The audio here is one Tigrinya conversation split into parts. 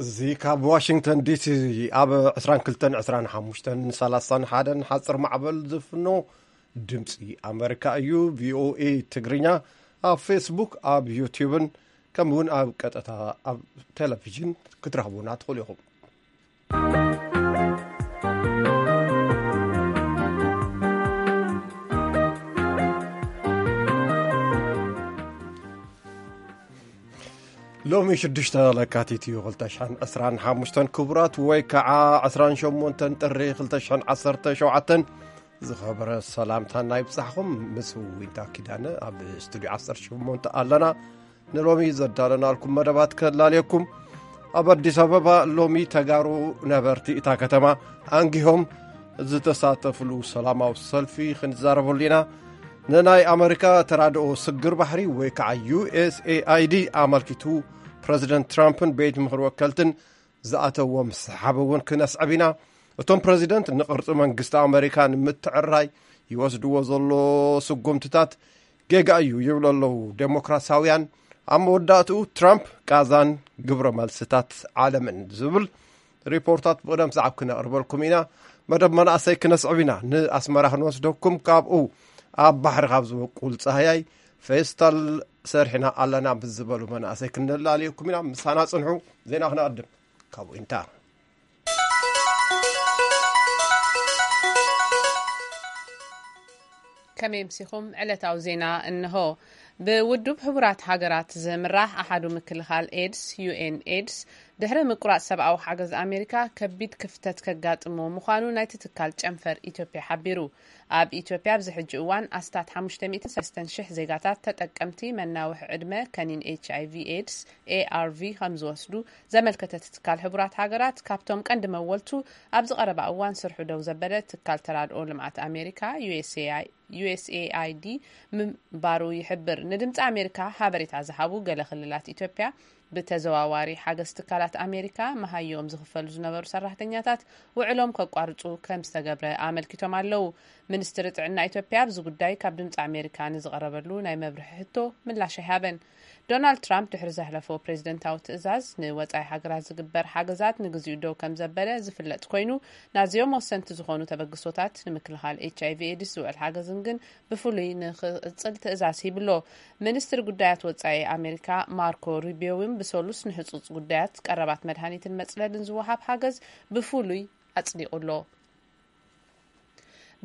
እዚ ካብ ዋሽንግተን ዲሲ ኣብ ዕስራን ክልተን፣ ዕስራን ሓሙሽተን፣ ሰላሳን ሓደን ሓፂር ማዕበል ዝፍኖ ድምፂ ኣመሪካ እዩ። ቪኦኤ ትግርኛ ኣብ ፌስቡክ፣ ኣብ ዩቲዩብን ከምኡ እውን ኣብ ቀጥታ ኣብ ቴሌቪዥን ክትረኽቡና ትኽእሉ ኢኹም። ሎሚ ሽዱሽተ ለካቲት እዩ፣ ክልተ ሽሕን ዕስራን ሓሙሽተን። ክቡራት ወይ ከዓ ዕስራን ሸሞንተን ጥሪ ክልተ ሽሕን ዓሰርተ ሸውዓተን፣ ዝኸበረ ሰላምታና ይብጻሕኹም። ምስ ዊንታ ኪዳነ ኣብ ስቱዲዮ ዓሰርተ ሸሞንተ ኣለና። ንሎሚ ዘዳለናልኩም መደባት ከላልየኩም። ኣብ ኣዲስ ኣበባ ሎሚ ተጋሩ ነበርቲ እታ ከተማ ኣንጊሆም ዝተሳተፍሉ ሰላማዊ ሰልፊ ክንዛረበሉ ኢና። ንናይ ኣመሪካ ተራድኦ ስግር ባሕሪ ወይ ከዓ ዩ ኤስ ኤ ኣይ ዲ ኣመልኪቱ፣ ፕረዚደንት ትራምፕን ቤት ምኽሪ ወከልትን ዝኣተዎም ሰሓብ እውን ክነስዕብ ኢና። እቶም ፕረዚደንት ንቕርጺ መንግስቲ ኣመሪካ ንምትዕራይ ይወስድዎ ዘሎ ስጉምትታት ጌጋ እዩ ይብሉ ኣለዉ ዴሞክራሲያውያን። ኣብ መወዳእትኡ ትራምፕ ቃዛን ግብረ መልስታት ዓለምን ዝብል ሪፖርታት ብቕደም ሰዓብ ክነቕርበልኩም ኢና። መደብ መናእሰይ ክነስዕብ ኢና። ንኣስመራ ክንወስደኩም፣ ካብኡ ኣብ ባሕሪ ካብ ዝበቁል ጻህያይ ፌስታል ሰሪሕና ኣለና ምስ ዝበሉ መናእሰይ ክነላልየኩም ኢና። ምሳና ጽንሑ። ዜና ክነቐድም። ካብ ዊንታ። ከመይ ኣምሲኹም? ዕለታዊ ዜና እንሆ። ብውድብ ሕቡራት ሃገራት ዝምራሕ ኣሓዱ ምክልኻል ኤድስ፣ ዩ ኤን ኤድስ፣ ድሕሪ ምቁራጽ ሰብኣዊ ሓገዝ ኣሜሪካ ከቢድ ክፍተት ከጋጥሞ ምዃኑ ናይቲ ትካል ጨንፈር ኢትዮጵያ ሓቢሩ። ኣብ ኢትዮጵያ ኣብዚ ሕጂ እዋን ኣስታት ሓሙሽተ ሚእትን ሰለስተን ሽሕ ዜጋታት ተጠቀምቲ መናውሒ ዕድመ ከኒን ኤች ኣይ ቪ ኤድስ፣ ኤ ኣር ቪ፣ ከም ዝወስዱ ዘመልከተ እቲ ትካል ሕቡራት ሃገራት፣ ካብቶም ቀንዲ መወልቱ ኣብዚ ቀረባ እዋን ስርሑ ደው ዘበለ ትካል ተራድኦ ልምዓት ኣሜሪካ፣ ዩ ኤስ ኤ ኣይ፣ ዩ ኤስ ኤ ኣይ ዲ፣ ምንባሩ ይሕብር። ንድምፂ ኣሜሪካ ሓበሬታ ዝሃቡ ገለ ክልላት ኢትዮጵያ፣ ብተዘዋዋሪ ሓገዝ ትካላት ኣሜሪካ መሃዮም ዝኽፈሉ ዝነበሩ ሰራሕተኛታት ውዕሎም ከቋርፁ ከም ዝተገብረ ኣመልኪቶም ኣለዉ። ሚኒስትሪ ጥዕና ኢትዮጵያ ኣብዚ ጉዳይ ካብ ድምፂ ኣሜሪካ ንዝቐረበሉ ናይ መብርሒ ሕቶ ምላሽ ኣይሃበን። ዶናልድ ትራምፕ ድሕሪ ዘሕለፎ ፕሬዝደንታዊ ትእዛዝ፣ ንወፃኢ ሃገራት ዝግበር ሓገዛት ንግዚኡ ደው ከም ዘበለ ዝፍለጥ ኮይኑ፣ ናዚኦም ወሰንቲ ዝኾኑ ተበግሶታት ንምክልኻል ኤች ኣይ ቪ ኤድስ ዝውዕል ሓገዝን ግን ብፍሉይ ንኽቕጽል ትእዛዝ ሂብሎ። ሚኒስትሪ ጉዳያት ወጻኢ ኣሜሪካ ማርኮ ሩቢዮ እውን ብሰሉስ ንህጹጽ ጉዳያት ቀረባት መድሃኒትን መጽለልን ዝወሃብ ሓገዝ ብፍሉይ ኣጽዲቑ ኣሎ።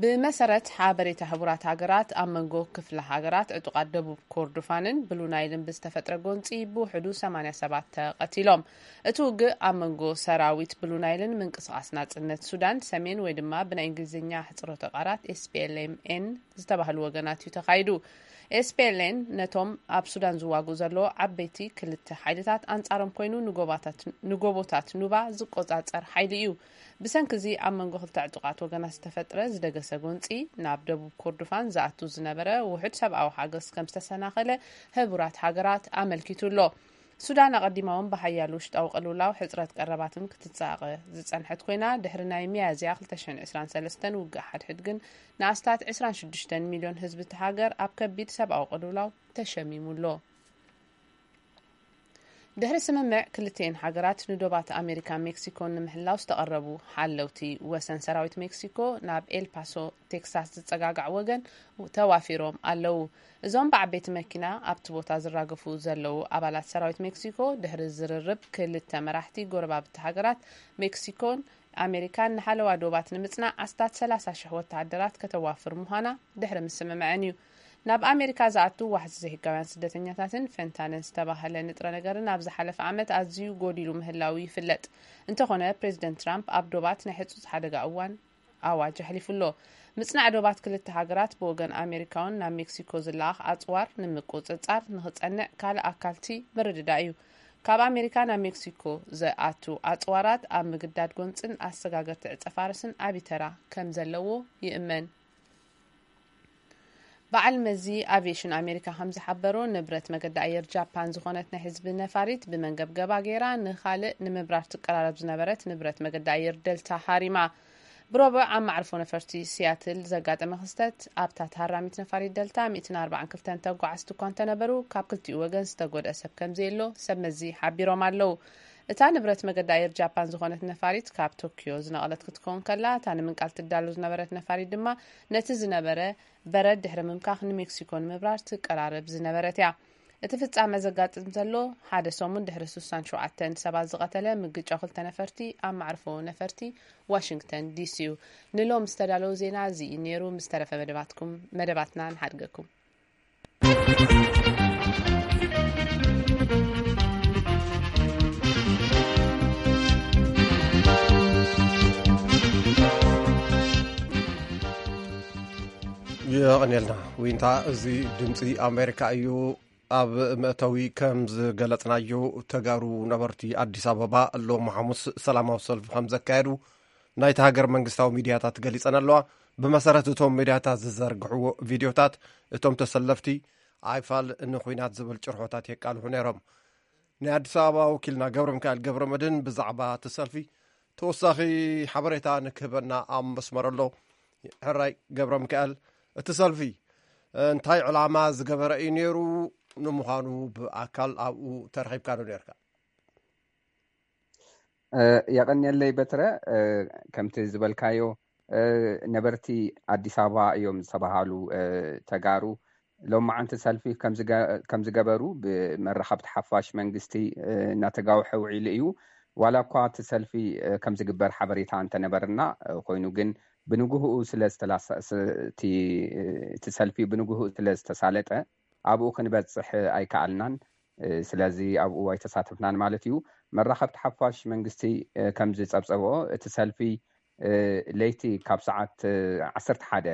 ብመሰረት ሓበሬታ ሕቡራት ሃገራት፣ ኣብ መንጎ ክፍለ ሃገራት ዕጡቓት ደቡብ ኮርዶፋንን ብሉ ናይልን ብዝተፈጥረ ጎንጺ ብውሕዱ ሰማንያ ሰባት ተቐቲሎም። እቲ ውግእ ኣብ መንጎ ሰራዊት ብሉ ናይልን ምንቅስቓስ ናጽነት ሱዳን ሰሜን ወይ ድማ ብናይ እንግሊዝኛ ሕጽሮተ ቃላት ኤስ ፒ ኤል ኤም ኤን ዝተባህሉ ወገናት እዩ ተኻይዱ። ኤስ ፒ ኤል ኤን ነቶም ኣብ ሱዳን ዝዋግኡ ዘለዉ ዓበይቲ ክልተ ሓይልታት ኣንጻሮም ኮይኑ ንጎባታት-፣ ንጎቦታት ኑባ ዝቆጻጸር ሓይሊ እዩ። ብሰንኪ እዚ ኣብ መንጎ ክልተ ዕጡቓት ወገናት ዝተፈጥረ ዝደገሰ ጎንጺ ናብ ደቡብ ኮርዶፋን ዝኣቱ ዝነበረ ውሑድ ሰብኣዊ ሓገዝ ከም ዝተሰናኸለ ሕቡራት ሃገራት ኣመልኪቱ ኣሎ። ሱዳን ኣቐዲማ እውን ብሓያል ውሽጣዊ ቅልውላው ሕጽረት ቀረባትን ክትጻቐ ዝጸንሐት ኮይና፣ ድሕሪ ናይ ሚያዝያ ክልተ ሽሕን ዕስራን ሰለስተን ውግእ ሓድሕድ ግን ንኣስታት ዕስራን ሽዱሽተን ሚልዮን ህዝቢ እቲ ሃገር ኣብ ከቢድ ሰብኣዊ ቅልውላው ተሸሚሙ ኣሎ። ድሕሪ ስምምዕ ክልቲኤን ሃገራት ንዶባት ኣሜሪካን ሜክሲኮን ንምሕላው ዝተቐረቡ ሓለውቲ ወሰን ሰራዊት ሜክሲኮ ናብ ኤልፓሶ ቴክሳስ ዝጸጋጋዕ ወገን ተዋፊሮም ኣለዉ። እዞም ብዓበይቲ መኪና ኣብቲ ቦታ ዝራገፉ ዘለዉ ኣባላት ሰራዊት ሜክሲኮ፣ ድሕሪ ዝርርብ ክልተ መራሕቲ ጎረባብቲ ሃገራት ሜክሲኮን ኣሜሪካን ንሓለዋ ዶባት ንምጽናዕ ኣስታት ሰላሳ ሽሕ ወተሃደራት ከተዋፍር ምዃና ድሕሪ ምስምምዐን እዩ። ናብ ኣሜሪካ ዝኣቱ ዋሕዚ ዘይሕጋውያን ስደተኛታትን ፌንታንን ዝተባህለ ንጥረ ነገርን ኣብ ዝሓለፈ ዓመት ኣዝዩ ጎዲሉ ምህላዉ ይፍለጥ። እንተኾነ፣ ፕሬዚደንት ትራምፕ ኣብ ዶባት ናይ ሕጹጽ ሓደጋ እዋን ኣዋጅ ኣሕሊፉ ኣሎ። ምጽናዕ ዶባት ክልተ ሃገራት ብወገን ኣሜሪካውን ናብ ሜክሲኮ ዝለኣኽ ኣጽዋር ንምቁጽጻር ንኽጸንዕ ካልእ ኣካልቲ ምርድዳእ እዩ። ካብ ኣሜሪካ ናብ ሜክሲኮ ዝኣቱ ኣጽዋራት ኣብ ምግዳድ ጎንጽን ኣሰጋገርቲ ዕጸ ፋርስን ዓቢ ተራ ከም ዘለዎ ይእመን። በዓል መዚ ኣቪዬሽን ኣሜሪካ ከም ዝሓበሮ፣ ንብረት መገዲ ኣየር ጃፓን ዝኾነት ናይ ህዝቢ ነፋሪት ብመንገብገባ ገይራ ንኻልእ ንምብራር ትቀራረብ ዝነበረት ንብረት መገዲ ኣየር ደልታ ሃሪማ። ብረቡዕ ኣብ መዕርፎ ነፈርቲ ሲያትል ዘጋጠመ ክስተት፣ ኣብታ ተሃራሚት ነፋሪት ደልታ ሚእትን ኣርባዓን ክልተን ተጓዓዝቲ እኳ እንተነበሩ፣ ካብ ክልቲኡ ወገን ዝተጎድአ ሰብ ከም ዘየሎ ሰብ መዚ ሓቢሮም ኣለዉ። እታ ንብረት መገዲ ኣየር ጃፓን ዝኾነት ነፋሪት ካብ ቶኪዮ ዝነቐለት ክትከውን ከላ፣ እታ ንምንቃል ትዳሎ ዝነበረት ነፋሪት ድማ ነቲ ዝነበረ በረድ ድሕሪ ምምካኽ ንሜክሲኮ ንምብራር ትቀራረብ ዝነበረት እያ። እቲ ፍጻመ ዘጋጥም ዘሎ ሓደ ሰሙን ድሕሪ ስሳን ሸውዓተን ሰባት ዝቐተለ ምግጫው ክልተ ነፈርቲ ኣብ ማዕርፎ ነፈርቲ ዋሽንግተን ዲሲ እዩ። ንሎም ዝተዳለዉ ዜና እዚ እዩ ነይሩ። ምስ ተረፈ መደባትኩም መደባትና ንሓድገኩም። የቐንየልና ዊንታ። እዚ ድምፂ ኣሜሪካ እዩ። ኣብ መእተዊ ከም ዝገለጽናዮ፣ ተጋሩ ነበርቲ ኣዲስ ኣበባ ሎሚ ሓሙስ ሰላማዊ ሰልፊ ከም ዘካየዱ ናይቲ ሃገር መንግስታዊ ሚድያታት ገሊጸን ኣለዋ። ብመሰረት እቶም ሚድያታት ዝዘርግሕዎ ቪድዮታት፣ እቶም ተሰለፍቲ ኣይፋል ንኹናት ዝብል ጭርሖታት የቃልሑ ነይሮም። ናይ ኣዲስ ኣበባ ወኪልና ገብረ ሚካኤል ገብረ መድህን ብዛዕባ እቲ ሰልፊ ተወሳኺ ሓበሬታ ንክህበና ኣብ መስመር ኣሎ። ሕራይ ገብረ ሚካኤል፣ እቲ ሰልፊ እንታይ ዕላማ ዝገበረ እዩ ነይሩ? ንምዃኑ ብኣካል ኣብኡ ተረኺብካ ዶ ነርካ? የቐንየለይ በትረ። ከምቲ ዝበልካዮ፣ ነበርቲ ኣዲስ ኣበባ እዮም ዝተባሃሉ ተጋሩ ሎማዓንቲ ሰልፊ ከም ዝገበሩ ብመራኸብቲ ሓፋሽ መንግስቲ እናተጋውሐ ውዒሉ እዩ። ዋላ እኳ እቲ ሰልፊ ከም ዝግበር ሓበሬታ እንተነበርና፣ ኮይኑ ግን ብንግህኡ ስለ እቲ ሰልፊ ብንግህኡ ስለ ዝተሳለጠ፣ ኣብኡ ክንበፅሕ ኣይከኣልናን። ስለዚ ኣብኡ ኣይተሳተፍናን ማለት እዩ። መራኸብቲ ሓፋሽ መንግስቲ ከም ዝፀብፀብኦ፣ እቲ ሰልፊ ለይቲ ካብ ሰዓት ዓሰርተ ሓደ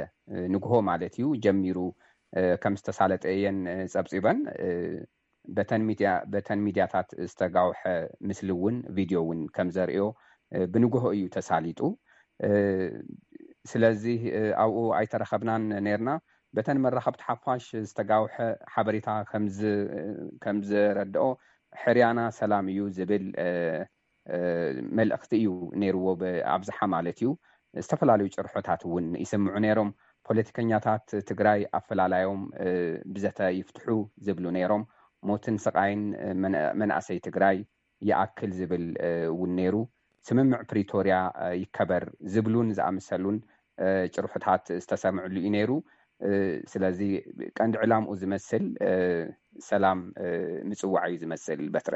ንግሆ ማለት እዩ ጀሚሩ ከም ዝተሳለጠ እየን ፀብፂበን። በተን ሚድያታት ዝተጋውሐ ምስሊ እውን፣ ቪድዮ እውን ከም ዘርእዮ፣ ብንግሆ እዩ ተሳሊጡ። ስለዚ ኣብኡ ኣይተረኸብናን ነርና። በተን መራኸብቲ ሓፋሽ ዝተጋውሐ ሓበሬታ ከም ዝረድኦ፣ ሕርያና ሰላም እዩ ዝብል መልእኽቲ እዩ ነይርዎ፣ ብኣብዝሓ ማለት እዩ። ዝተፈላለዩ ጭርሖታት እውን ይስምዑ ነይሮም። ፖለቲከኛታት ትግራይ ኣፈላላዮም ብዘተ ይፍትሑ ዝብሉ ነይሮም። ሞትን ስቓይን መናእሰይ ትግራይ ይኣክል ዝብል እውን ነይሩ። ስምምዕ ፕሪቶርያ ይከበር ዝብሉን ዝኣመሰሉን ጭርሖታት ዝተሰምዕሉ እዩ ነይሩ። ስለዚ ቀንዲ ዕላምኡ ዝመስል ሰላም ምፅዋዕ እዩ ዝመስል። በትረ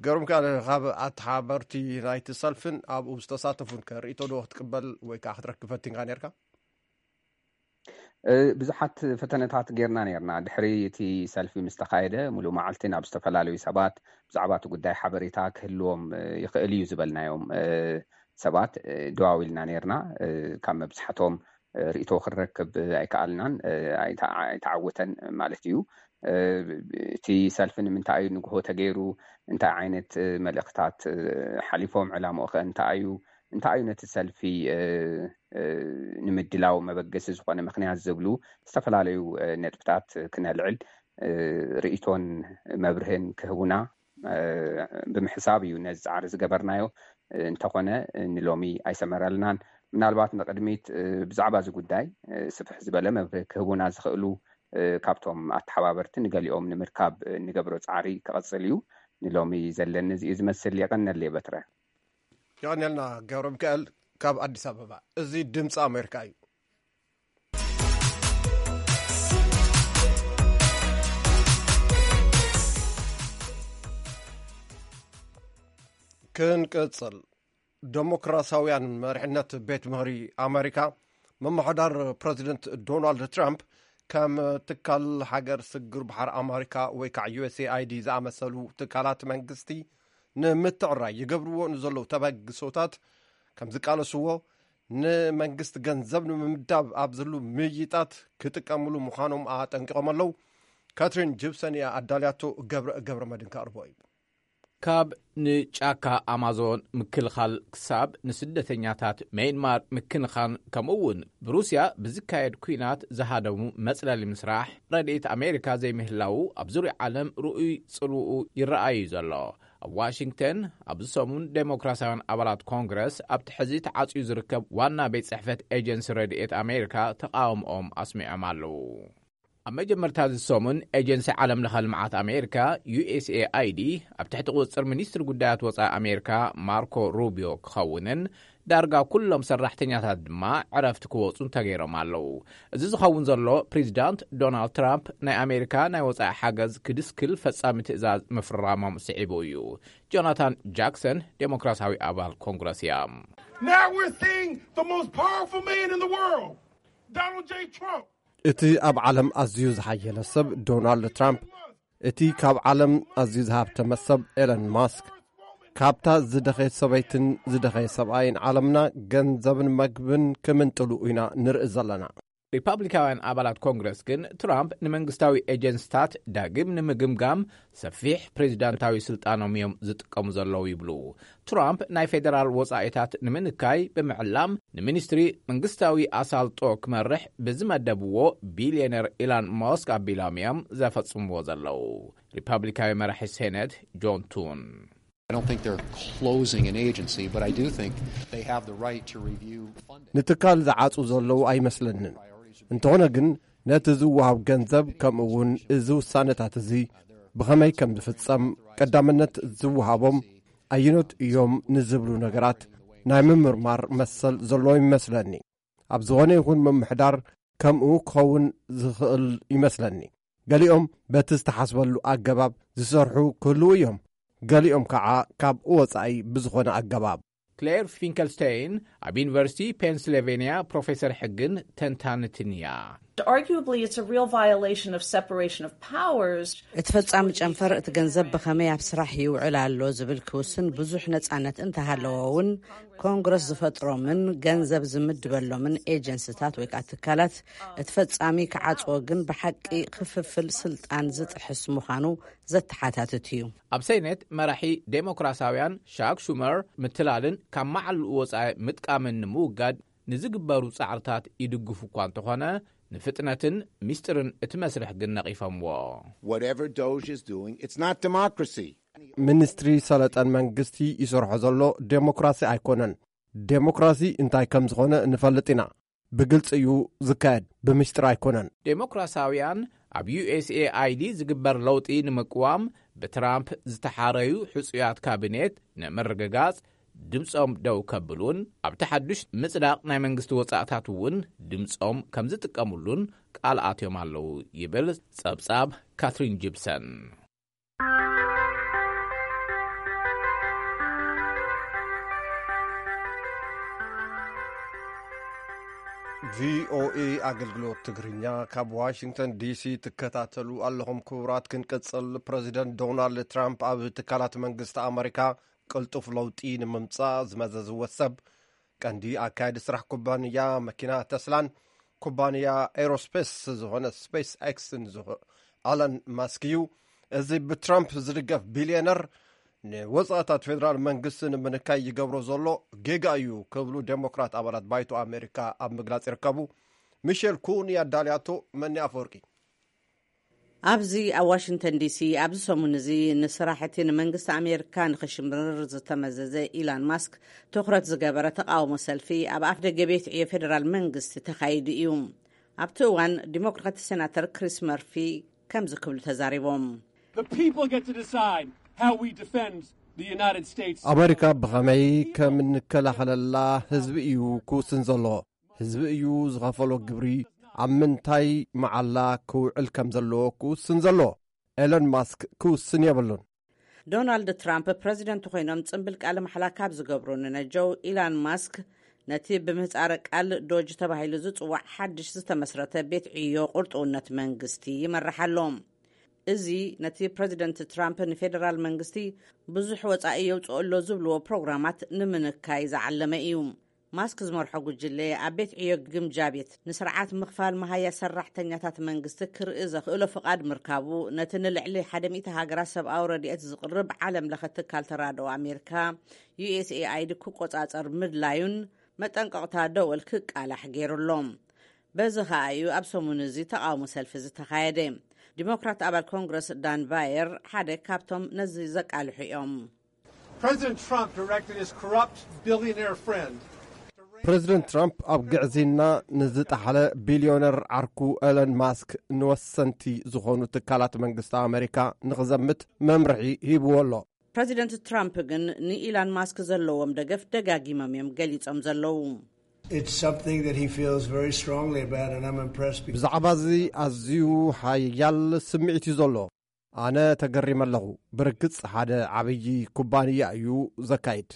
ገርም ከ ካብ ኣተሓበርቲ ናይቲ ሰልፍን ኣብኡ ዝተሳተፉን ከ ርእቶ ዶ ክትቅበል ወይ ከዓ ክትረክብ ፈቲንካ ነርካ? ብዙሓት ፈተነታት ጌርና ነርና። ድሕሪ እቲ ሰልፊ ምስ ተኻየደ፣ ሙሉእ መዓልቲ ናብ ዝተፈላለዩ ሰባት ብዛዕባ እቲ ጉዳይ ሓበሬታ ክህልዎም ይኽእል እዩ ዝበልናዮም ሰባት ደዋዊልና ነርና። ካብ መብዛሕቶም ርእቶ ክንረክብ ኣይከኣልናን፣ ኣይተዓወተን ማለት እዩ። እቲ ሰልፊ ንምንታይ እዩ ንግሆ ተገይሩ፣ እንታይ ዓይነት መልእኽታት ሓሊፎም፣ ዕላምኡ ከ እንታይ እዩ፣ እንታይ እዩ ነቲ ሰልፊ ንምድላው መበገሲ ዝኾነ ምኽንያት ዝብሉ ዝተፈላለዩ ነጥብታት ክነልዕል ርእቶን መብርህን ክህቡና ብምሕሳብ እዩ ነዚ ፃዕሪ ዝገበርናዮ። እንተኾነ ንሎሚ ኣይሰመረልናን። ምናልባት ንቕድሚት ብዛዕባ እዚ ጉዳይ ስፍሕ ዝበለ መብርህ ክህቡና ዝኽእሉ ካብቶም ኣተሓባበርቲ ንገሊኦም ንምርካብ እንገብሮ ፃዕሪ ክቐፅል እዩ። ንሎሚ ዘለኒ እዚኡ ዝመስል። የቐነል የበትረ። የቐነልና ገብረ ሚካኤል ካብ ኣዲስ ኣበባ። እዚ ድምፂ ኣሜሪካ እዩ። ክንቅፅል። ዴሞክራሲያውያን መሪሕነት ቤት ምኽሪ ኣሜሪካ ምምሕዳር ፕረዚደንት ዶናልድ ትራምፕ ከም ትካል ሃገር ስግር ባሕሪ ኣሜሪካ ወይ ከዓ ዩ ኤስ ኤ ኣይ ዲ ዝኣመሰሉ ትካላት መንግስቲ ንምትዕራይ ይገብርዎ ንዘለዉ ተበግሶታት ከም ዝቃለስዎ፣ ንመንግስቲ ገንዘብ ንምምዳብ ኣብ ዝህሉ ምይይጣት ክጥቀምሉ ምዃኖም ኣጠንቂቖም ኣለዉ። ካትሪን ጂፕሰን እያ ኣዳልያቶ። ገብረ ገብረ መድን ከቕርቦ እዩ። ካብ ንጫካ ኣማዞን ምክልኻል ክሳብ ንስደተኛታት ሜይንማር ምክንኻን፣ ከምኡ እውን ብሩስያ ብዝካየድ ኲናት ዝሃደሙ መጽለሊ ምስራሕ ረድኤት ኣሜሪካ ዘይምህላዉ ኣብ ዙርያ ዓለም ርኡይ ጽልውኡ ይረኣዩ ዘሎ። ኣብ ዋሽንግተን ኣብዚ ሰሙን ዴሞክራሲያውያን ኣባላት ኮንግረስ ኣብቲ ሕዚ ተዓጽዩ ዝርከብ ዋና ቤት ጽሕፈት ኤጀንሲ ረድኤት ኣሜሪካ ተቓውሞኦም ኣስሚዖም ኣለዉ። ኣብ መጀመርታ እዚ ሰሙን ኤጀንሲ ዓለም ለኸ ልምዓት ኣሜሪካ፣ ዩ ኤስ ኤ ኣይ ዲ፣ ኣብ ትሕቲ ቁፅፅር ሚኒስትሪ ጉዳያት ወፃኢ ኣሜሪካ ማርኮ ሩቢዮ ክኸውንን ዳርጋ ኩሎም ሰራሕተኛታት ድማ ዕረፍቲ ክወፁን ተገይሮም ኣለዉ። እዚ ዝኸውን ዘሎ ፕሬዚዳንት ዶናልድ ትራምፕ ናይ ኣሜሪካ ናይ ወፃኢ ሓገዝ ክድስክል ፈፃሚ ትእዛዝ ምፍራሞም ስዒቡ እዩ። ጆናታን ጃክሰን ዴሞክራሲያዊ ኣባል ኮንግረስ እያ። Now we're seeing the most powerful man in the world, Donald J. Trump. እቲ ኣብ ዓለም ኣዝዩ ዝሓየለ ሰብ ዶናልድ ትራምፕ፣ እቲ ካብ ዓለም ኣዝዩ ዝሃብተመ ሰብ ኤለን ማስክ፣ ካብታ ዝደኸየት ሰበይትን ዝደኸየ ሰብኣይን ዓለምና ገንዘብን መግብን ክምንጥሉ ኢና ንርኢ ዘለና። ሪፓብሊካውያን ኣባላት ኮንግረስ ግን ትራምፕ ንመንግስታዊ ኤጀንስታት ዳግም ንምግምጋም ሰፊሕ ፕሬዚዳንታዊ ስልጣኖም እዮም ዝጥቀሙ ዘለዉ ይብሉ። ትራምፕ ናይ ፌዴራል ወጻኢታት ንምንካይ ብምዕላም ንሚኒስትሪ መንግስታዊ ኣሳልጦ ክመርሕ ብዝመደብዎ ቢልዮነር ኢላን ሞስክ ኣቢሎም እዮም ዘፈጽምዎ ዘለዉ። ሪፓብሊካዊ መራሒ ሴኔት ጆን ቱን I don't think they're closing an agency, but I do think they have the right to review funding. ንትካል ዝዓጹ ዘለዉ ኣይመስለንን። እንተኾነ ግን ነቲ ዝወሃብ ገንዘብ ከምኡ እውን እዚ ውሳነታት እዚ ብኸመይ ከም ዝፍጸም ቀዳምነት ዝወሃቦም ኣየኖት እዮም ንዝብሉ ነገራት ናይ ምምርማር መሰል ዘለዎ ይመስለኒ። ኣብ ዝኾነ ይኹን ምምሕዳር ከምኡ ክኸውን ዝኽእል ይመስለኒ። ገሊኦም በቲ ዝተሓስበሉ ኣገባብ ዝሰርሑ ክህልዉ እዮም። ገሊኦም ከዓ ካብ ወጻኢ ብዝኾነ ኣገባብ። ክሌር ፊንከልስቴይን ኣብ ዩኒቨርሲቲ ፔንስልቬንያ ፕሮፌሰር ሕግን ተንታንትን እያ። Arguably, it's a real violation of separation of powers. እቲ ፈጻሚ ጨንፈር እቲ ገንዘብ ብኸመይ ኣብ ስራሕ ይውዕል ኣሎ ዝብል ክውስን ብዙሕ ነጻነት እንተሃለዎ እውን ኮንግረስ ዝፈጥሮምን ገንዘብ ዝምድበሎምን ኤጀንስታት ወይ ከዓ ትካላት እቲ ፈጻሚ ክዓጽዎ ግን ብሓቂ ክፍፍል ስልጣን ዝጥሕስ ምዃኑ ዘተሓታትት እዩ። ኣብ ሴኔት መራሒ ዴሞክራሲያውያን ሻክ ሹመር ምትላልን ካብ መዓልኡ ወጻኢ ምጥቃምን ንምውጋድ ንዝግበሩ ጻዕርታት ይድግፉ እኳ እንተኾነ ንፍጥነትን ሚስጥርን እቲ መስርሕ ግን ነቒፈምዎ። Whatever Doge is doing, it's not democracy. ሚኒስትሪ ሰለጠን መንግስቲ ይሰርሖ ዘሎ ዴሞክራሲ ኣይኮነን። ዴሞክራሲ እንታይ ከም ዝኾነ ንፈልጥ ኢና። ብግልፂ እዩ ዝካየድ፣ ብምስጢር ኣይኮነን። ዴሞክራሲያውያን ኣብ ዩ ኤስ ኤ ኣይ ዲ ዝግበር ለውጢ ንምቅዋም ብትራምፕ ዝተሓረዩ ሕጹያት ካቢኔት ንምርግጋጽ ድምጾም ደው ከብሉን ኣብቲ ሓዱሽ ምጽዳቕ ናይ መንግስቲ ወጻእታት እውን ድምጾም ከም ዝጥቀሙሉን ቃል ኣትዮም ኣለዉ ይብል ጸብጻብ ካትሪን ጂፕሰን። ቪኦኤ ኣገልግሎት ትግርኛ ካብ ዋሽንግተን ዲሲ ትከታተሉ ኣለኹም። ክቡራት ክንቅጽል፣ ፕረዚደንት ዶናልድ ትራምፕ ኣብ ትካላት መንግስቲ ኣመሪካ ቅልጡፍ ለውጢ ንምምጻእ ዝመዘዝዎ ሰብ ቀንዲ ኣካያዲ ስራሕ ኩባንያ መኪና ተስላን ኩባንያ ኤሮስፔስ ዝኾነ ስፔስ ኤክስን ዝኾ ኣለን ማስክ እዩ። እዚ ብትራምፕ ዝድገፍ ቢልዮነር ንወፃእታት ፌደራል መንግስቲ ንምንካይ ይገብሮ ዘሎ ጌጋ እዩ ክብሉ ዴሞክራት ኣባላት ባይቶ ኣሜሪካ ኣብ ምግላፅ ይርከቡ። ሚሼል ኩን ያዳልያቶ መኒ ኣፈወርቂ። ኣብዚ ኣብ ዋሽንግተን ዲሲ ኣብዚ ሰሙን እዚ ንስራሕ እቲ ንመንግስቲ ኣሜሪካ ንኽሽምርር ዝተመዘዘ ኢላን ማስክ ትኹረት ዝገበረ ተቃውሞ ሰልፊ ኣብ ኣፍ ደገ ቤት ዕዮ ፌደራል መንግስቲ ተኻይዱ እዩ። ኣብቲ እዋን ዲሞክራት ሴናተር ክሪስ መርፊ ከምዚ ክብሉ ተዛሪቦም። The people get to decide how we defend the United States. ኣሜሪካ ብኸመይ ከም እንከላኸለላ ህዝቢ እዩ ክውስን ዘሎ። ህዝቢ እዩ ዝኸፈሎ ግብሪ ኣብ ምንታይ መዓላ ክውዕል ከም ዘለዎ ክውስን ዘሎ። ኤለን ማስክ ክውስን የብሉን። ዶናልድ ትራምፕ ፕረዚደንት ኮይኖም ጽንብል ቃለ ማሕላ ካብ ዝገብሩ ንነጀው ኢላን ማስክ ነቲ ብምህጻረ ቃል ዶጅ ተባሂሉ ዝጽዋዕ ሓድሽ ዝተመስረተ ቤት ዕዮ ቁርጥውነት መንግስቲ ይመርሕ ኣሎ። እዚ ነቲ ፕረዚደንት ትራምፕ ንፌደራል መንግስቲ ብዙሕ ወጻኢ የውጽኦ ኣሎ ዝብልዎ ፕሮግራማት ንምንካይ ዝዓለመ እዩ። ማስክ ዝመርሖ ጉጅለ ኣብ ቤት ዕዮ ግምጃ ቤት ንስርዓት ምኽፋል መሃያ ሰራሕተኛታት መንግስቲ ክርኢ ዘኽእሎ ፍቓድ ምርካቡ ነቲ ንልዕሊ ሓደ ሚእቲ ሃገራት ሰብኣዊ ረድኤት ዝቕርብ ዓለም ለኸ ትካል ተራድኦ ኣሜሪካ ዩ ኤስ ኤ ኣይ ዲ ክቆጻጸር ምድላዩን መጠንቀቕታ ደወል ክቃላሕ ገይሩ ኣሎ። በዚ ኸኣ እዩ ኣብ ሰሙን እዚ ተቓውሞ ሰልፊ ዝተኻየደ። ዲሞክራት ኣባል ኮንግረስ ዳን ባየር ሓደ ካብቶም ነዚ ዘቃልሑ እዮም። President Trump directed his corrupt billionaire friend ፕሬዚደንት ትራምፕ ኣብ ግዕዝይና ንዝጠሓለ ቢልዮነር ዓርኩ ኤለን ማስክ ንወሰንቲ ዝኾኑ ትካላት መንግስቲ ኣሜሪካ ንኽዘምት መምርሒ ሂብዎ ኣሎ። ፕሬዚደንት ትራምፕ ግን ንኢላን ማስክ ዘለዎም ደገፍ ደጋጊሞም እዮም ገሊጾም ዘለዉ። It's something that he feels very strongly about, and I'm impressed. Because ብዛዕባ እዚ ኣዝዩ ሓያል ስምዒት እዩ ዘሎ። ኣነ ተገሪመ ኣለኹ። ብርግጽ ሓደ ዓብዪ ኩባንያ እዩ ዘካይድ።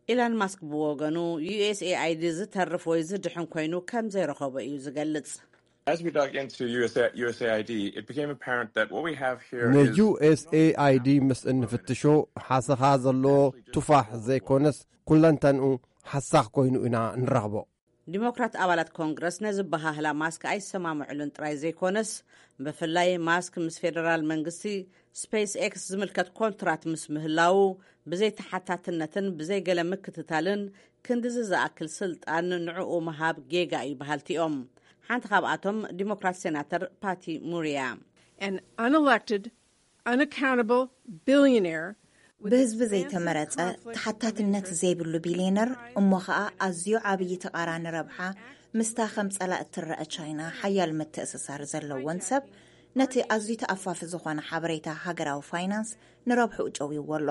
ኢላን ማስክ ብወገኑ፣ ዩኤስኤኣይዲ ዝተርፍ ወይ ዝድሕን ኮይኑ ከም ዘይረኸቦ እዩ ዝገልጽ። As we dug into U S A, U S A I D, it became apparent that what we have here ን is ዩ ኤስ ኤ ኣይ ዲ ምስ እንፍትሾ፣ ሓሰኻ ዘሎ ቱፋሕ ዘይኮነስ ኩለንተንኡ ሓሳኽ ኮይኑ ኢና ንረኽቦ። ዲሞክራት ኣባላት ኮንግረስ ነዚ በሃህላ ማስክ ኣይሰማምዕሉን ጥራይ ዘይኮነስ፣ ብፍላይ ማስክ ምስ ፌደራል መንግስቲ ስፔስ ኤክስ ዝምልከት ኮንትራት ምስ ምህላዉ፣ ብዘይ ተሓታትነትን ብዘይ ገለ ምክትታልን ክንድዚ ዝኣክል ስልጣን ንዕኡ ምሃብ ጌጋ እዩ በሃልቲ እዮም። ሓንቲ ካብኣቶም ዲሞክራት ሴናተር ፓቲ ሙር እያ። An unelected, unaccountable billionaire with ብህዝቢ expansive ዘይተመረጸ conflicts of ተሓታትነት interest ዘይብሉ ቢልዮነር፣ እሞ ኸኣ ኣዝዩ ዓብዪ ተቓራኒ ረብሓ ምስታ ከም ጸላእ እትረአ ቻይና ሓያል ምትእስሳር ዘለዎን ሰብ፣ ነቲ ኣዝዩ ተኣፋፊ ዝኾነ ሓበሬታ ሃገራዊ ፋይናንስ ንረብሕኡ ጨውይዎ ኣሎ።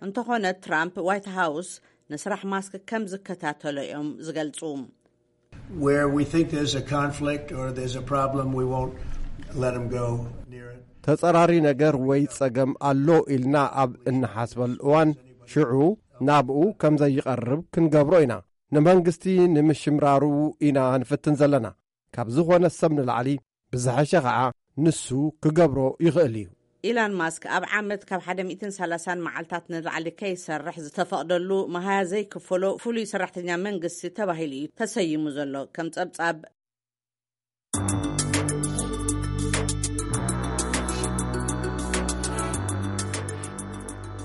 እንተኾነ፣ ትራምፕ ዋይት ሃውስ ንስራሕ ማስክ ከም ዝከታተሎ እዮም ዝገልጹ። Where we think there's a conflict or there's a problem, we won't let him go near it. ተጸራሪ ነገር ወይ ጸገም ኣሎ ኢልና ኣብ እንሓስበሉ እዋን፣ ሽዑ ናብኡ ከም ዘይቐርብ ክንገብሮ ኢና። ንመንግስቲ ንምሽምራሩ ኢና ንፍትን ዘለና። ካብ ዝኾነ ሰብ ንላዕሊ፣ ብዝሐሸ ኸዓ ንሱ ክገብሮ ይኽእል እዩ። ኢላን ማስክ ኣብ ዓመት ካብ ሓደ ሚእትን ሰላሳን መዓልታት ንላዕሊ ከይሰርሕ ዝተፈቕደሉ መሃያ ዘይክፈሎ ፍሉይ ሰራሕተኛ መንግስቲ ተባሂሉ እዩ ተሰይሙ ዘሎ። ከም ጸብጻብ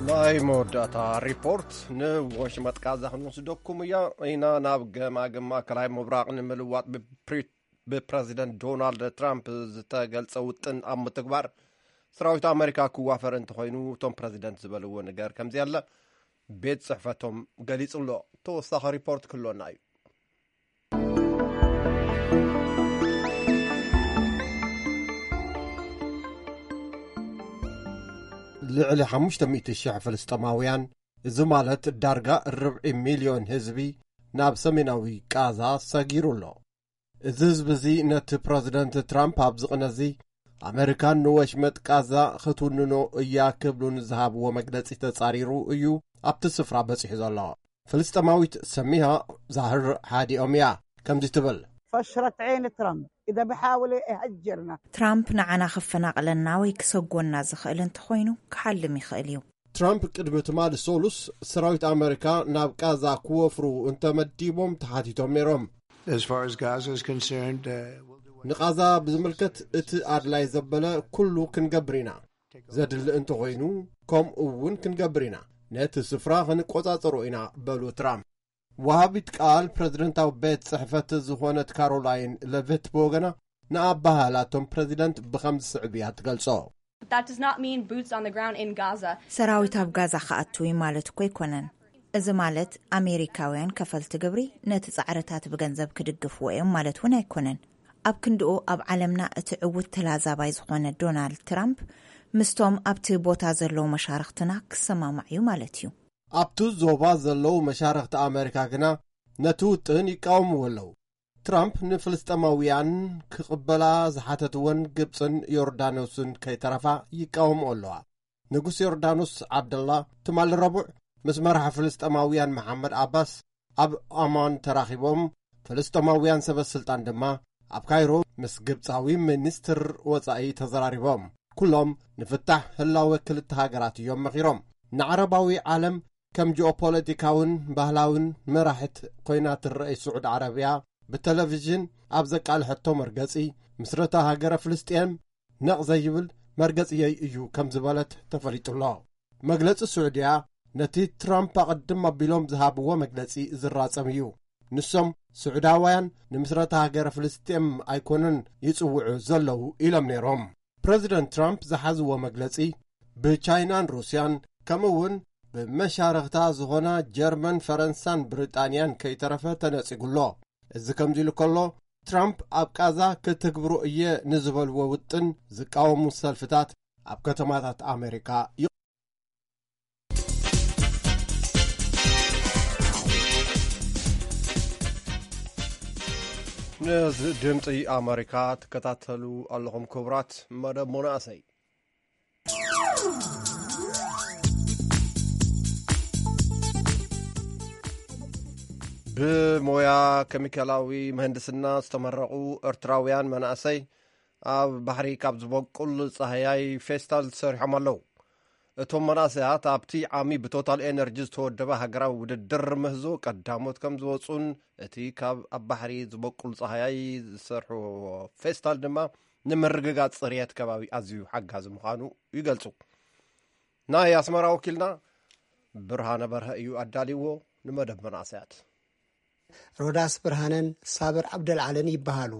ናይ መወዳእታ ሪፖርት ንወሽመጥ ጋዛ ክንወስደኩም እያ ኢና። ናብ ገማግም ማእከላይ ምብራቕ ንምልዋጥ ብፕሪ- ብፕረዚደንት ዶናልድ ትራምፕ ዝተገልጸ ውጥን ኣብ ምትግባር ሰራዊት ኣመሪካ ክዋፈር እንተኾይኑ፣ እቶም ፕረዚደንት ዝበልዎ ነገር ከምዚ ኣለ ቤት ጽሕፈቶም ገሊጹ ኣሎ። ተወሳኺ ሪፖርት ክህልወና እዩ። ልዕሊ ሓሙሽተ ሚእቲ ሽሕ ፍልስጤማውያን፣ እዚ ማለት ዳርጋ ርብዒ ሚልዮን ህዝቢ፣ ናብ ሰሜናዊ ቃዛ ሰጊሩ ኣሎ። እዚ ህዝቢ እዚ ነቲ ፕረዚደንት ትራምፕ ኣብዚ ቅነ እዚ ኣመሪካን ንወሽመጥ ቃዛ ክትውንኖ እያ ክብሉ ንዝሃብዎ መግለጺ ተጻሪሩ እዩ ኣብቲ ስፍራ በጺሑ ዘሎ። ፍልስጤማዊት ሰሚሃ ዛህር ሓዲኦም እያ ከምዚ ትብል። فشرت عين ترامب إذا بحاول يهجرنا. ትራምፕ ንዓና ክፈናቕለና ወይ ክሰጎና ዝኽእል እንተኾይኑ ክሓልም ይኽእል እዩ። ትራምፕ ቅድሚ ትማሊ ሰሉስ ሰራዊት ኣመሪካ ናብ ቃዛ ክወፍሩ እንተመዲቦም ተሓቲቶም ነይሮም። As far as Gaza is concerned, uh, we'll do what ንቓዛ ብዝምልከት እቲ ኣድላይ ዘበለ ኩሉ ክንገብር ኢና። ዘድሊ እንተኾይኑ ከምኡ እውን ክንገብር ኢና። ነቲ ስፍራ ክንቆጻጸሮ ኢና በሉ ትራምፕ። ወሃቢት ቃል ፕረዚደንታዊ ቤት ጽሕፈት ዝኾነት ካሮላይን ለቨት ብወገና ንኣባህላቶም ፕረዚደንት ብኸም ዝስዕብ እያ ትገልጾ። That does not mean boots on the ground in Gaza. ሰራዊት ኣብ ጋዛ ክኣትው ማለት እኮ ኣይኮነን። እዚ ማለት ኣሜሪካውያን ከፈልቲ ግብሪ ነቲ ጻዕርታት ብገንዘብ ክድግፍዎ እዮም ማለት እውን ኣይኮነን። ኣብ ክንድኡ ኣብ ዓለምና እቲ ዕዉት ተላዛባይ ዝኾነ ዶናልድ ትራምፕ ምስቶም ኣብቲ ቦታ ዘለዉ መሻርኽትና ክሰማማዕ እዩ ማለት እዩ። ኣብቲ ዞባ ዘለዉ መሻርኽቲ ኣመሪካ ግና ነቲ ውጥን ይቃወምዎ ኣለዉ። ትራምፕ ንፍልስጤማውያን ክቕበላ ዝሓተትወን ግብጽን ዮርዳኖስን ከይተረፋ ይቃወምኦ ኣለዋ። ንጉስ ዮርዳኖስ ዓብደላ ትማሊ ረቡዕ ምስ መራሒ ፍልስጤማውያን መሓመድ ዓባስ ኣብ ኣማን ተራኺቦም፣ ፍልስጤማውያን ሰበ ስልጣን ድማ ኣብ ካይሮ ምስ ግብጻዊ ሚኒስትር ወጻኢ ተዘራሪቦም። ኩሎም ንፍታሕ ህላወ ክልተ ሃገራት እዮም መኺሮም። ንዓረባዊ ዓለም ከም ጂኦፖለቲካውን ባህላውን መራሒት ኮይና ትረኣይ ስዑድ ዓረብያ፣ ብቴሌቪዥን ኣብ ዘቃልሐቶ መርገጺ፣ ምስረታ ሃገረ ፍልስጤም ነቕ ዘይብል መርገጺየይ እዩ ከም ዝበለት ተፈሊጡ ኣሎ። መግለጺ ስዑድያ ነቲ ትራምፕ ኣቐድም ኣቢሎም ዝሃብዎ መግለጺ ዝራጸም እዩ። ንሶም ስዑዳውያን ንምስረታ ሃገረ ፍልስጤም ኣይኮነን ይጽውዑ ዘለዉ ኢሎም ነይሮም። ፕረዚደንት ትራምፕ ዝሓዝዎ መግለጺ ብቻይናን ሩስያን ከምኡ እውን መሻርኽታ ዝኾና ጀርመን፣ ፈረንሳን ብሪጣንያን ከይተረፈ ተነጺጉ ኣሎ። እዚ ከምዚ ኢሉ ከሎ፣ ትራምፕ ኣብ ቃዛ ክትግብሮ እየ ንዝበልዎ ውጥን ዝቃወሙ ሰልፍታት ኣብ ከተማታት ኣሜሪካ ይ- ነዚ ድምፂ ኣሜሪካ ትከታተሉ ኣለኹም ክቡራት። መደብ መናእሰይ፣ ብሞያ ኬሚካላዊ ምህንድስና ዝተመረቑ ኤርትራውያን መናእሰይ ኣብ ባሕሪ ካብ ዝበቁል ጻህያይ ፌስታል ሰሪሖም ኣለዉ። እቶም መናእሰያት ኣብቲ ዓሚ ብቶታል ኤነርጂ ዝተወደበ ሃገራዊ ውድድር ምህዞ ቀዳሞት ከም ዝወጹን እቲ ካብ ኣብ ባሕሪ ዝበቁል ጻህያይ ዝሰርሕዎ ፌስታል ድማ ንምርግጋጽ ጽርየት ከባቢ ኣዝዩ ሓጋዚ ምዃኑ ይገልጹ። ናይ ኣስመራ ወኪልና ብርሃነ በርሀ እዩ ኣዳልዎ። ንመደብ መናእሰያት። ሮዳስ ብርሃነን ሳብር ዓብደልዓልን ይበሃሉ።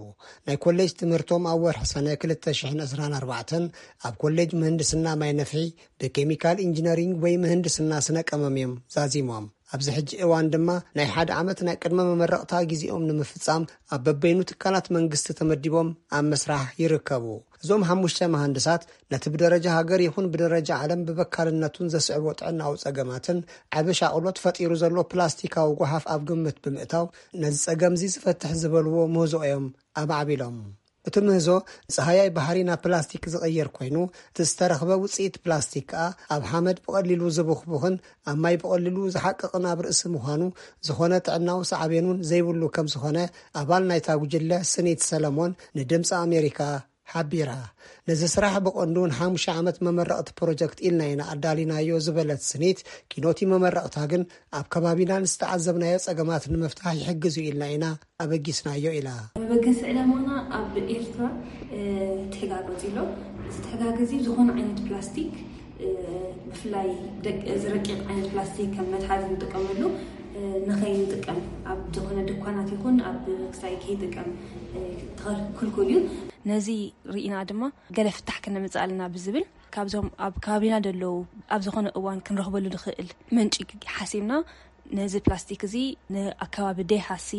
ናይ ኮሌጅ ትምህርቶም ኣብ ወርሒ ሰነ ክልተ ሽሕን ዕስራን ኣርባዕተን ኣብ ኮሌጅ ምህንድስና ማይ ነፍሒ ብኬሚካል ኢንጂነሪንግ ወይ ምህንድስና ስነ ቀመም እዮም ዛዚሞም። ኣብዚ ሕጂ እዋን ድማ ናይ ሓደ ዓመት ናይ ቅድመ መመረቕታ ግዜኦም ንምፍጻም ኣብ በበይኑ ትካላት መንግስቲ ተመዲቦም ኣብ ምስራሕ ይርከቡ። እዞም ሓሙሽተ መሃንድሳት ነቲ ብደረጃ ሃገር ይኹን ብደረጃ ዓለም ብበካልነቱን ዘስዕቦ ጥዕናዊ ጸገማትን ዓቢ ሻቕሎት ፈጢሩ ዘሎ ፕላስቲካዊ ጓሓፍ ኣብ ግምት ብምእታው፣ ነዚ ጸገምዚ ዝፈትሕ ዝበልዎ ምህዞ እዮም ኣማዕቢሎም። እቲ ምህዞ፣ ጸሃያይ ባሕሪ ናብ ፕላስቲክ ዝቕይር ኮይኑ፣ እቲ ዝተረኽበ ውጽኢት ፕላስቲክ ከኣ ኣብ ሓመድ ብቐሊሉ ዝቡኽቡኽን ኣብ ማይ ብቐሊሉ ዝሓቅቕን ኣብ ርእሲ ምዃኑ፣ ዝኾነ ጥዕናዊ ሳዕቤን እውን ዘይብሉ ከም ዝኾነ ኣባል ናይታ ጉጅለ ስኒት ሰለሞን ንድምፂ ኣሜሪካ ሓቢራ። ነዚ ስራሕ ብቐንዱ ንሓሙሽተ ዓመት መመረቕቲ ፕሮጀክት ኢልና ኢና ኣዳሊናዮ ዝበለት ስኒት፣ ኪኖቲ መመረቕታ ግን ኣብ ከባቢና ንዝተዓዘብናዮ ጸገማት ንምፍታሕ ይሕግዝ እዩ ኢልና ኢና ኣበጊስናዮ ኢላ። መበገሲ ዕላማና ኣብ ኤርትራ፣ እ፣ ትሕጋገ ኣሎ። እዚ ትሕጋገ እዚ ዝኾነ ዓይነት ፕላስቲክ፣ እ፣ ብፍላይ ደቅ-፣ እዚ ረቂቕ ዓይነት ፕላስቲክ ከም መትሓዚ ንጥቀመሉ፣ እ፣ ንኸይንጥቀም ኣብ ዝኾነ ድኳናት ይኹን ኣብ ክሳይ ከይጥቀም፣ እ፣ ተኸል-፣ ክልኩል እዩ። ነዚ ርኢና ድማ ገለ ፍታሕ ከነምጽእ ኣለና ብዝብል ካብዞም ኣብ ከባቢና ዘለዉ ኣብ ዝኾነ እዋን ክንረኽበሉ ንኽእል ምንጪ ሓሲብና ነዚ ፕላስቲክ እዚ ንኣከባቢ ደይሃሲ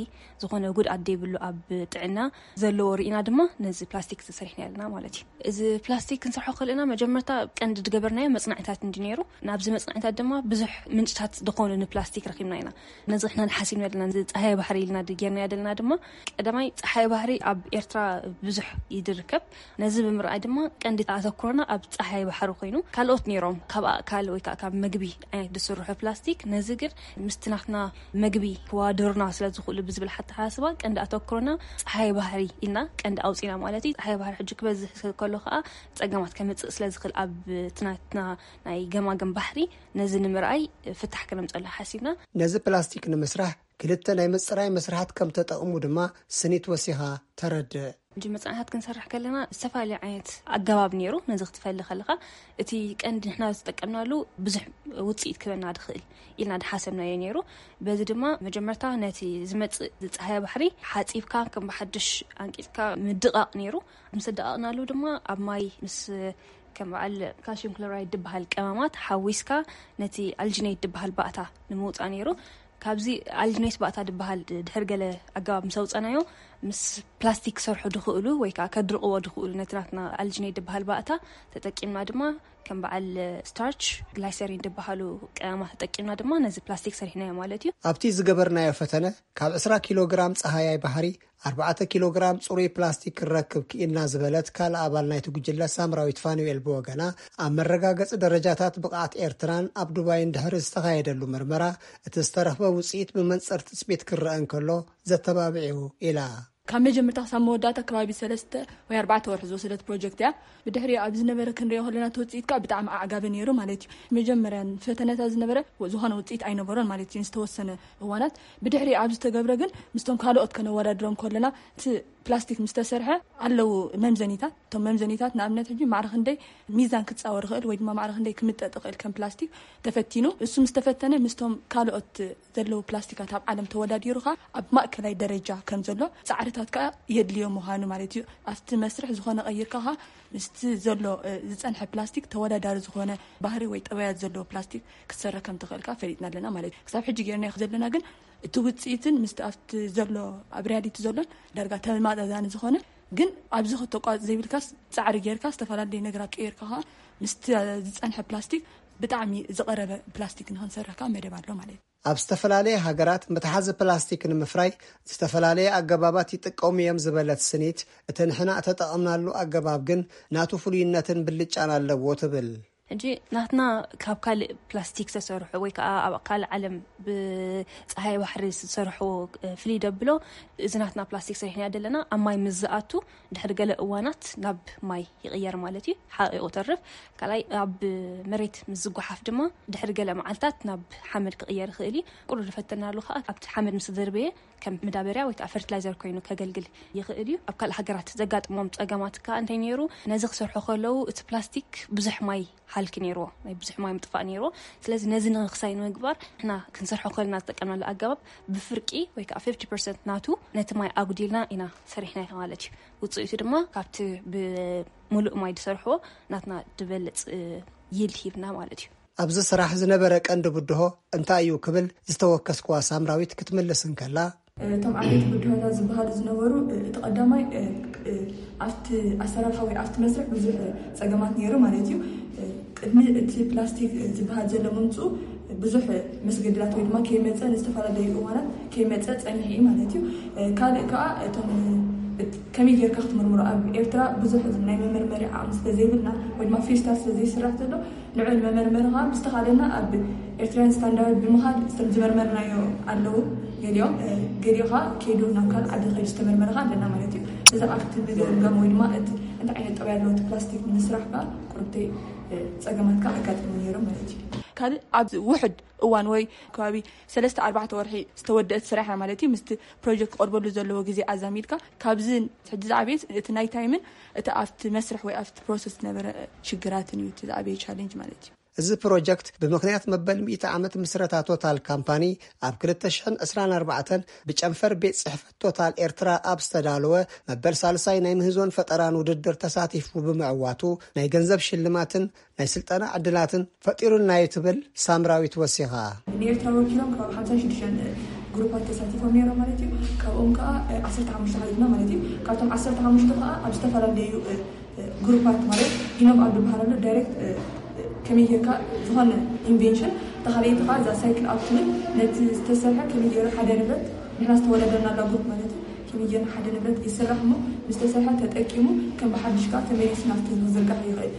ዝኾነ ጉድኣት ደይብሉ ኣብ ጥዕና ዘለዎ ርኢና ድማ ነዚ ፕላስቲክ እዚ ሰሪሕና ኣለና ማለት እዩ። እዚ ፕላስቲክ ክንሰርሖ ከለና መጀመርታ ቀንዲ ዝገበርናዮ መጽናዕታት እንዲ ነይሩ። ናብዚ መጽናዕታት ድማ ብዙሕ ምንጭታት ዝኾኑ ንፕላስቲክ ረኺብና ኢና። ነዚ ንሕና ሓሲብና ዘለና፣ እዚ ጸሃየ ባሕሪ ኢልና ጌርናዮ ዘለና ድማ፣ ቀዳማይ ጸሓየ ባሕሪ ኣብ ኤርትራ ብዙሕ እዩ ዝርከብ። ነዚ ብምርኣይ ድማ ቀንዲ ኣተኩሮና ኣብ ጸሓየ ባሕሪ ኮይኑ፣ ካልኦት ነይሮም ካብ ኣእካል ወይ ከዓ ካብ መግቢ ዓይነት ዝስርሑ ፕላስቲክ፣ ነዚ ግን ምስቲ ናትና መግቢ ክዋደሩና ስለ ዝኽእሉ ብዝብል ኣተሓሳስባ ቀንዲ ኣተኩሮና ጸሓየ ባሕሪ ኢልና ቀንዲ ኣውፂና ማለት እዩ። ጸሓየ ባሕሪ ሕጂ ክበዝሕ ከሎ ከዓ ጸገማት ከምፅእ ስለ ዝኽእል ኣብ እቲ ናትና ናይ ገማግም ባሕሪ ነዚ ንምርኣይ ፍታሕ ክነምፀሉ ሓሲብና። ነዚ ፕላስቲክ ንምስራሕ ክልተ ናይ ምፅራይ መስርሓት ከም ተጠቕሙ ድማ ስኒት ወሲኻ ተረድእ። ሕጂ መፅናዕታት ክንሰርሕ ከለና ዝተፈላለዩ ዓይነት ኣገባብ ነይሩ። ነዚ ክትፈሊ ከለኻ እቲ ቀንዲ ንሕና ዝተጠቀምናሉ ብዙሕ ውፅኢት ክበና ድኽእል ኢልና ድሓሰብናዮ ነይሩ። በዚ ድማ መጀመርታ ነቲ ዝመፅእ ዝፀሃየ ባሕሪ ሓፂብካ ከም ብሓድሽ ኣንቂፅካ ምድቓቕ ነይሩ። ምስ ኣደቓቕናሉ ድማ ኣብ ማይ ምስ ከም በዓል ካልሽየም ክሎራይድ ድበሃል ቀመማት ሓዊስካ ነቲ ኣልጂኔት ድበሃል ባእታ ንምውፃእ ነይሩ። ካብዚ ኣልጂኔት ባእታ ድበሃል ድሕር ገለ ኣገባብ ምስ ኣውፀናዮ፣ ምስ ፕላስቲክ ክሰርሑ ድኽእሉ ወይ ከዓ ከድርቕዎ ድኽእሉ ነቲ ናትና ኣልጂኔት ድበሃል ባእታ ተጠቂምና ድማ ከም በዓል ስታርች፣ ግላይሰሪን ድበሃሉ ቀመማት ተጠቂምና ድማ ነዚ ፕላስቲክ ሰሪሕናዮ ማለት እዩ። ኣብቲ ዝገበርናዮ ፈተነ ካብ ዕስራ ኪሎ ግራም ጸሃያይ ባሕሪ ኣርባዕተ ኪሎ ግራም ጽሩይ ፕላስቲክ ክንረክብ ክኢልና ዝበለት ካልእ ኣባል ናይቲ ጉጅለ ሳምራዊት ፋኑኤል ብወገና፣ ኣብ መረጋገጺ ደረጃታት ብቕዓት ኤርትራን ኣብ ዱባይን ድሕሪ ዝተኻየደሉ ምርመራ፣ እቲ ዝተረኽበ ውጽኢት ብመንጽር ትጽቢት ክረአ እንከሎ ዘተባብዕ'ዩ ኢላ። ካብ መጀመርታ ክሳብ መወዳእታ ከባቢ ሰለስተ ወይ ኣርባዕተ ወርሒ ዝወሰደት ፕሮጀክት እያ። ብድሕሪ ኣብ ዝነበረ ክንሪኦ ከለና እቲ ውጽኢት ከዓ ብጣዕሚ ኣዕጋቢ ነይሩ ማለት እዩ። መጀመርያ ፈተነታት ዝነበረ ዝኾነ ውጽኢት ኣይነበሮን ማለት እዩ፣ ዝተወሰነ እዋናት። ብድሕሪ ኣብ ዝተገብረ ግን ምስቶም ካልኦት ከነወዳድሮም ከለና እቲ ፕላስቲክ ምስ ተሰርሐ ኣለዉ መምዘኒታት። እቶም መምዘኒታት ንኣብነት ሕጂ ማዕረ ክንደይ ሚዛን ክጻወር ይኽእል ወይ ድማ ማዕረ ክንደይ ክምጠጥ ይኽእል ከም ፕላስቲክ ተፈቲኑ። እሱ ምስ ተፈተነ ምስቶም ካልኦት ዘለዉ ፕላስቲካት ኣብ ዓለም ተወዳዲሩ ኸኣ ኣብ ማእከላይ ደረጃ ከም ዘሎ ጻዕርታት ታት ከዓ የድልዮ ምዃኑ ማለት እዩ። ኣብቲ መስርሕ ዝኾነ ቀይርካ ኸዓ ምስቲ ዘሎ ዝፀንሐ ፕላስቲክ ተወዳዳሪ ዝኾነ ባህሪ ወይ ጠባያት ዘለዎ ፕላስቲክ ክትሰረክ ከም ትኽእልካ ፈሊጥና ኣለና ማለት እዩ። ክሳብ ሕጂ ጌርና ዘለና ግን እቲ ውፅኢትን ምስቲ ኣብቲ ዘሎ ኣብ ሪያሊቲ ዘሎን ዳርጋ ተመጣጣኒ ዝኾነ ግን ኣብዚ ከተቋርፅ ዘይብልካስ ፃዕሪ ጌርካ ዝተፈላለዩ ነገራት ቀይርካ ከዓ ምስቲ ዝፀንሐ ፕላስቲክ ብጣዕሚ ዝቐረበ ፕላስቲክ ንክንሰርሕ ከዓ መደብ ኣሎ ማለት እዩ። ኣብ ዝተፈላለየ ሃገራት መትሓዚ ፕላስቲክ ንምፍራይ ዝተፈላለየ ኣገባባት ይጥቀሙ እዮም ዝበለት ስኒት፣ እቲ ንሕና እተጠቐምናሉ ኣገባብ ግን ናቱ ፍሉይነትን ብልጫን ኣለዎ ትብል። ሕጂ ናትና ካብ ካልእ ፕላስቲክ ዝተሰርሑ ወይ ከዓ ኣብ ካልእ ዓለም ብፀሃይ ባሕሪ ዝተሰርሑ ፍልይ ደብሎ እዚ ናትና ፕላስቲክ ሰሪሕና ዘለና ኣብ ማይ ምስ ዝኣቱ ድሕሪ ገለ እዋናት ናብ ማይ ይቕየር ማለት እዩ። ሓቂቑ ተርፍ ካልኣይ ኣብ መሬት ምስ ዝጓሓፍ ድማ ድሕሪ ገለ መዓልታት ናብ ሓመድ ክቕየር ይኽእል እዩ። ቁሩብ ዝፈተናሉ ከዓ ኣብቲ ሓመድ ምስ ተደርበየ ከም መዳበርያ ወይ ከዓ ፈርቲላይዘር ኮይኑ ከገልግል ይኽእል እዩ። ኣብ ካልእ ሃገራት ዘጋጥሞም ፀገማት ከዓ እንታይ ነይሩ? ነዚ ክሰርሑ ከለዉ እቲ ፕላስቲክ ብዙሕ ማይ ሃልኪ ነይርዎ ናይ ብዙሕ ማይ ምጥፋእ ነይርዎ። ስለዚ ነዚ ንክሳይ ንምግባር ንሕና ክንሰርሖ ከለና ዝጠቀምናሉ ኣገባብ ብፍርቂ ወይ ከዓ ፊፍቲ ፐርሰንት ናቱ ነቲ ማይ ኣጉዲልና ኢና ሰሪሕናዮ ማለት እዩ። ውፅኢቱ ድማ ካብቲ ብምሉእ ማይ ዝሰርሕዎ ናትና ዝበልፅ ይልድ ሂብና ማለት እዩ። ኣብዚ ስራሕ ዝነበረ ቀንዲ ብድሆ እንታይ እዩ ክብል ዝተወከስክዋ ሳምራዊት ክትምልስ እንከላ፣ እቶም ዓበይቲ ብድሆታት ዝበሃሉ ዝነበሩ እቲ ቀዳማይ ኣብቲ ኣሰራርሓ ወይ ኣብቲ መስርሕ ብዙሕ ፀገማት ነይሩ ማለት እዩ። ቅድሚ እቲ ፕላስቲክ ዝበሃል ዘሎ ምምፅኡ ብዙሕ መስገድላት ወይ ድማ ከይመፀ ንዝተፈላለዩ እዋናት ከይመፀ ፀኒሑ እዩ ማለት እዩ። ካልእ ከዓ እቶም ከመይ ጌርካ ክትምርምሮ ኣብ ኤርትራ ብዙሕ ናይ መመርመሪ ዓቕሚ ስለዘይብልና ወይ ድማ ፌስታል ስለዘይስራሕ ዘሎ ንዑ ንመመርመሪ ከዓ ብዝተኻለና ኣብ ኤርትራያን ስታንዳርድ ብምኻድ ዝመርመርናዮ ኣለዉ። ገሊኦም ገሊኡ ከዓ ከይዱ ናብ ካልእ ዓዲ ከይዱ ዝተመርመረ ከዓ ኣለና ማለት እዩ። እዚ ኣብቲ ምግምጋም ወይ ድማ እቲ እንታይ ዓይነት ጠባይ ኣለዎ እቲ ፕላስቲክ ንምስራሕ ከዓ ቁርብተይ ፀገማት ከዓ ኣጋጢሙ ነይሮም ማለት እዩ። ካልእ ኣብዚ ውሕድ እዋን ወይ ከባቢ ሰለስተ ኣርባዕተ ወርሒ ዝተወደአት ስራሕ እያ ማለት እዩ። ምስቲ ፕሮጀክት ክቐርበሉ ዘለዎ ግዜ ኣዛሚድካ ካብዚ ሕጂ ዝዓበየ እቲ ናይ ታይምን እቲ ኣብቲ መስርሕ ወይ ኣብቲ ፕሮሰስ ዝነበረ ሽግራትን እዩ እቲ ዝዓበየ ቻሌንጅ ማለት እዩ። እዚ ፕሮጀክት ብምኽንያት መበል ሚእቲ ዓመት ምስረታ ቶታል ካምፓኒ ኣብ ክልተ ሽሕን ዕስራን ኣርባዕተን ብጨንፈር ቤት ጽሕፈት ቶታል ኤርትራ ኣብ ዝተዳለወ መበል ሳልሳይ ናይ ምህዞን ፈጠራን ውድድር ተሳቲፉ ብምዕዋቱ ናይ ገንዘብ ሽልማትን ናይ ስልጠና ዕድላትን ፈጢሩልና እዩ ትብል ሳምራዊት ወሲኻ። ንኤርትራ ወኪሎም ካብ ሓምሳ ሽዱሽተ ግሩፓት ተሳቲፎም ነይሮም ማለት እዩ። ካብኦም ከዓ ዓሰርተ ሓሙሽተ ሓሊፍና ማለት እዩ። ካብቶም ዓሰርተ ሓሙሽተ ከዓ ኣብ ዝተፈላለዩ ግሩፓት ማለት ኢኖቭ ኣብ ዝበሃል ኣሎ ዳይሬክት ከመይ ጌርካ ዝኾነ ኢንቬንሽን ተኻልአይቲ ከዓ እዛ ሳይክል ኣብ ትብል ነቲ ዝተሰርሐ ከመይ ገይሩ ሓደ ንብረት ንሕና ዝተወዳደርናላ ግሩፕ ማለት እዩ። ከመይ ጌርና ሓደ ንብረት ይስራሕ እሞ ምስ ተሰርሐ ተጠቂሙ ከም ብሓድሽ ከዓ ተመሊሱ ናብቲ ህዝቢ ዝርጋሕ ይኽእል።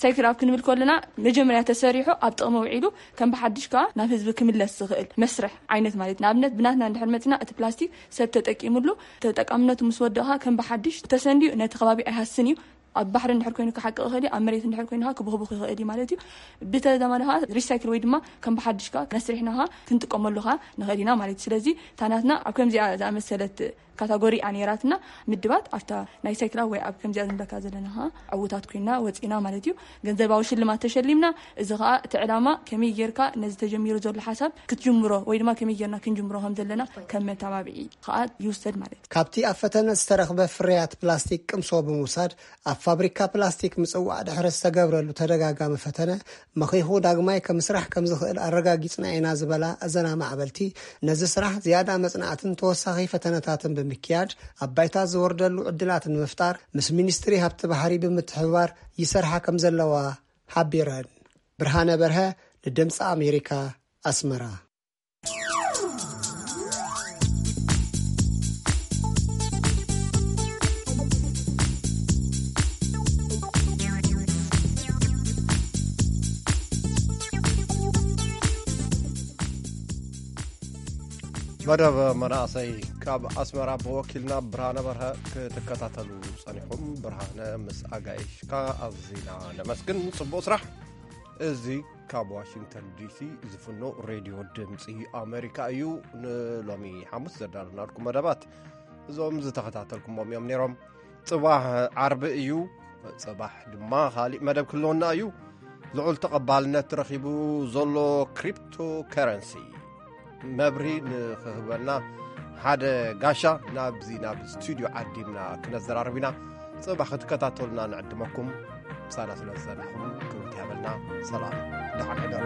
ሳይክል ኣብ ክንብል ከለና መጀመርያ ተሰሪሑ ኣብ ጥቕሚ ውዒሉ ከም ብሓድሽ ከዓ ናብ ህዝቢ ክምለስ ዝኽእል መስርሕ ዓይነት ማለት ንኣብነት ብናትና እንድሕር መፅና እቲ ፕላስቲክ ሰብ ተጠቂምሉ ተጠቃምነቱ ምስ ወደእኻ ከም ብሓድሽ ተሰንድዩ ነቲ ከባቢ ኣይሃስን እዩ። ኣብ ባሕሪ እንድሕር ኮይኑ ክሓቅቕ ይኽእል እዩ፣ ኣብ መሬት እንድሕር ኮይኑ ከዓ ክብኽብኽ ይኽእል እዩ ማለት እዩ። ብተዛማዲ ከዓ ሪሳይክል ወይ ድማ ከም ብሓድሽ ከዓ መስሪሕና ከዓ ክንጥቀመሉ ከዓ ንኽእል ኢና ማለት እዩ። ስለዚ እታ ናትና ኣብ ከምዚኣ ዝኣመሰለት ካታጎሪ እያ ነይራትና። ምድባት ኣብታ ናይ ሳይክላ ወይ ኣብ ከምዚኣ ዝንበካ ዘለና ከዓ ዕውታት ኮይና ወፂና ማለት እዩ። ገንዘባዊ ሽልማት ተሸሊምና። እዚ ከዓ እቲ ዕላማ ከመይ ጌርካ ነዚ ተጀሚሩ ዘሎ ሓሳብ ክትጅምሮ ወይ ድማ ከመይ ጌርና ክንጅምሮ ከም ዘለና ከም መተባብዒ ከዓ ይውሰድ ማለት እዩ። ካብቲ ኣብ ፈተነ ዝተረኽበ ፍርያት ፕላስቲክ ቅምሶ ብምውሳድ ኣብ ፋብሪካ ፕላስቲክ ምጽዋዕ ድሕሪ ዝተገብረሉ ተደጋጋሚ ፈተነ መኺኹ ዳግማይ ከምስራሕ ከም ዝኽእል ኣረጋጊጽና ኢና ዝበላ እዘን ኣማዕበልቲ፣ ነዚ ስራሕ ዝያዳ መጽናዕትን ተወሳኺ ፈተነታትን ብምክያድ ኣብ ባይታ ዝወርደሉ ዕድላት ንምፍጣር ምስ ሚኒስትሪ ሃብቲ ባሕሪ ብምትሕብባር ይሰርሓ ከም ዘለዋ ሓቢረን። ብርሃነ በርሀ ንድምፂ ኣሜሪካ ኣስመራ። መደብ መናእሰይ ካብ ኣስመራ ብወኪልና ብርሃነ በርሀ ክትከታተሉ ጸኒኹም። ብርሃነ ምስ ኣጋይሽካ ኣዚና ነመስግን። ጽቡቕ ስራሕ። እዚ ካብ ዋሽንግተን ዲሲ ዝፍኖ ሬድዮ ድምፂ ኣሜሪካ እዩ። ንሎሚ ሓሙስ ዘዳለናልኩም መደባት እዞም ዝተኸታተልኩሞም እዮም ነይሮም። ጽባሕ ዓርቢ እዩ። ጽባሕ ድማ ካሊእ መደብ ክህልወና እዩ። ልዑል ተቐባልነት ረኺቡ ዘሎ ክሪፕቶ ከረንሲ መብሪ ንኽህበና ሓደ ጋሻ ናብዚ ናብ ስቱድዮ ዓዲምና ክነዘራርብ ኢና። ጽባ ክትከታተሉና ንዕድመኩም። ምሳና ስለ ዝጸናሕኩም ክብርቲ ያበልና። ሰላም፣ ደሓን ሕደሩ።